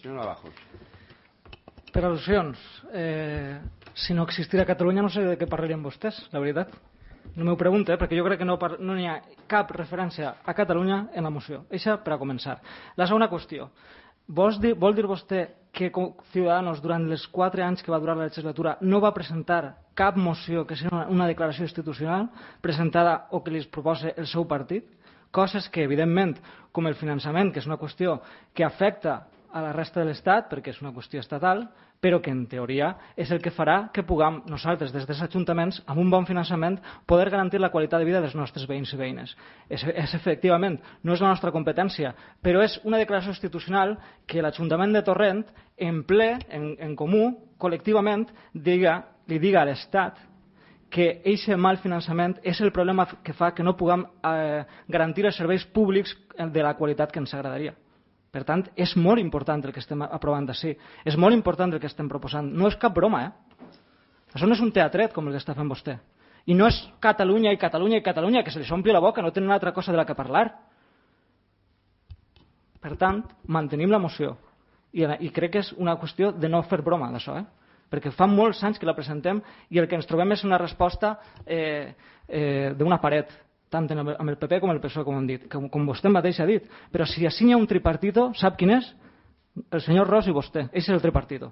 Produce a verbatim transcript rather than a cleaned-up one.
Senyor Navajos. Per al·lusions. Eh, si no existira Catalunya no sé de què parlarien vostès, la veritat. No m'ho pregunte, eh, perquè jo crec que no, no hi ha cap referència a Catalunya en la moció. Eixa per a començar. La segona qüestió. Vol dir, vol dir vostè que Ciudadanos durant els quatre anys que va durar la legislatura no va presentar cap moció que sigui una, una declaració institucional presentada o que li proposa el seu partit? Coses que, evidentment, com el finançament, que és una qüestió que afecta a la resta de l'Estat, perquè és una qüestió estatal, però que en teoria és el que farà que puguem nosaltres, des dels ajuntaments, amb un bon finançament, poder garantir la qualitat de vida dels nostres veïns i veïnes. És, és efectivament, no és la nostra competència, però és una declaració institucional que l'Ajuntament de Torrent, en ple, en, en comú, col·lectivament, diga, li diga a l'Estat que aquest mal finançament és el problema que fa que no puguem eh, garantir els serveis públics de la qualitat que ens agradaria. Per tant, és molt important el que estem aprovant d'ací. És molt important el que estem proposant. No és cap broma, eh? Això no és un teatret com el que està fent vostè. I no és Catalunya i Catalunya i Catalunya, que se li s'ompli la boca, no tenen una altra cosa de la que parlar. Per tant, mantenim la moció. I, I crec que és una qüestió de no fer broma d'això, eh? Perquè fa molts anys que la presentem i el que ens trobem és una resposta eh, eh, d'una paret, tant amb el P P com el P S O E, com hem dit, com, com vostè mateix ha dit. Però si així hi ha un tripartito, sap quin és? El senyor Ros i vostè. Ese és el tripartito.